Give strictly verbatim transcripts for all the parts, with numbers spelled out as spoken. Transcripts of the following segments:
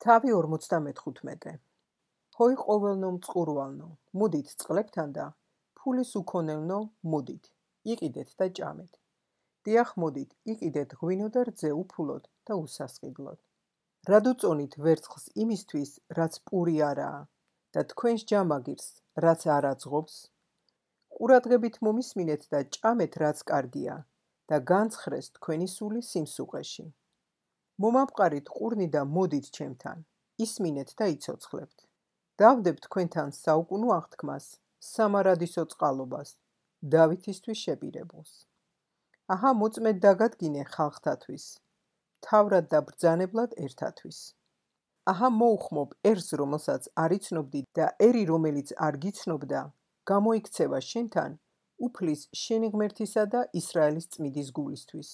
თავი ორმოცდამეთხუთმეტე. ჰოი ყოველნო მწყურვალნო, მუდით წყლებთან და ფულის უქონელნო მუდით, იყიდეთ და ჭამეთ. დიახ მოდით, იყიდეთ ღვინო და რძე უფულოდ და უსასყიდლოდ. რადუწონით ვერცხლს იმისთვის, რაც პური არაა და თქვენს ჯამაგირს, რაც არ აძღობს? ყურადღებით მომისმინეთ და ჭამეთ, რაც კარგია და განცხრეს თქვენი სული სიმსუყეში. მომამყარით ყურნი და მოდით ჩემთან, ისმინეთ და იცოცხლებთ. დავდებ თქვენთან საუკუნო აღთქმას, სამარადისო წყალობას, დავითისთვის შეპირებულს. აჰა მოწმედ დაგადგინე ხალხთათვის, თავრად და ბრძანებლად ერთათვის. აჰა მოუხმობ ერს რომელსაც არ იცნობდი და ერი რომელიც არ გიცნობდა, გამოიქცევა შენთან უფლის შენი ღმერთისა და ისრაელის წმიდის გულისთვის,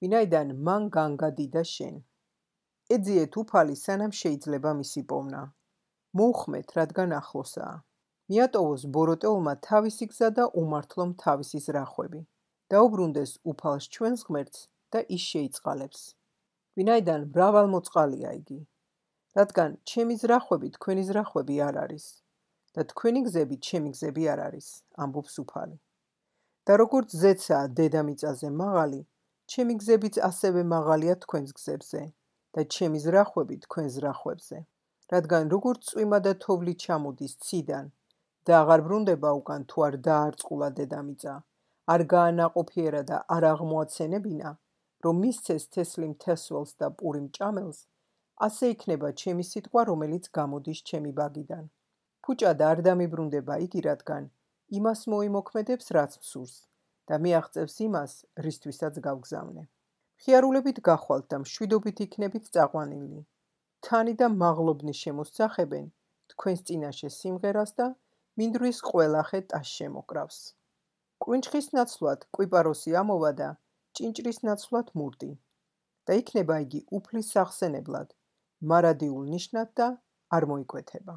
ვინაიდან მან განგადიდა შენ. ეძიეთ უფალი სანამ შეიძლება მისი პოვნა. მოუხმეთ რადგან ახლოსაა. მიატოვოს ბოროტეულმა თავისი გზა და უმართლომ თავისი ზრახვები. დაუბრუნდეს უფალს ჩვენს ღმერთს და ის შეიწყალებს. ვინაიდან მრავალმოწყალია იგი. რადგან ჩემი ზრახვები თქვენი ზრახვები არ არის და თქვენი გზები ჩემი გზები არ არის, ამბობს უფალი. და როგორც ზეცაა დედამიწაზე მაღალი, ჩემი გზებიც ასევე მაღალია თქვენს გზებზე და ჩემი ზრახვები თქვენ ზრახვებზე. რადგან როგორც წვიმა და თოვლი ჩამოდის ციდან და აღარ ბრუნდება უკან თუ არ დაარწყულა დედამიწა, არ გაანაყოფიერა და არ აღმოაცენებინა, რომ მისცეს თესლი მთესველს და პური მჭამელს, ასე იქნება ჩემი სიტყვა, რომელიც გამოდის ჩემი ბაგიდან. ფუჭად არ დამიბრუნდება იგი, რადგან იმას მოიმოქმედებს, რაც მსურს და მიაღწევს იმას, რისთვისაც გავგზავნე. მხიარულებით გახვალთ და მშვიდობით იქნებით წაყვანილი. თანი და მაღლობნი შემოსძახებენ თქვენს წინაშე სიმღერას და მინდვრის ყველახე ტას შემოკრავს. კვინჭხის ნაცვლად კვიპაროსი ამოვა და ჭინჭრის ნაცვლად მურდი და იქნება იგი უფლის სახსენებლად, მარადიულ ნიშნად და არ მოიკვეთება.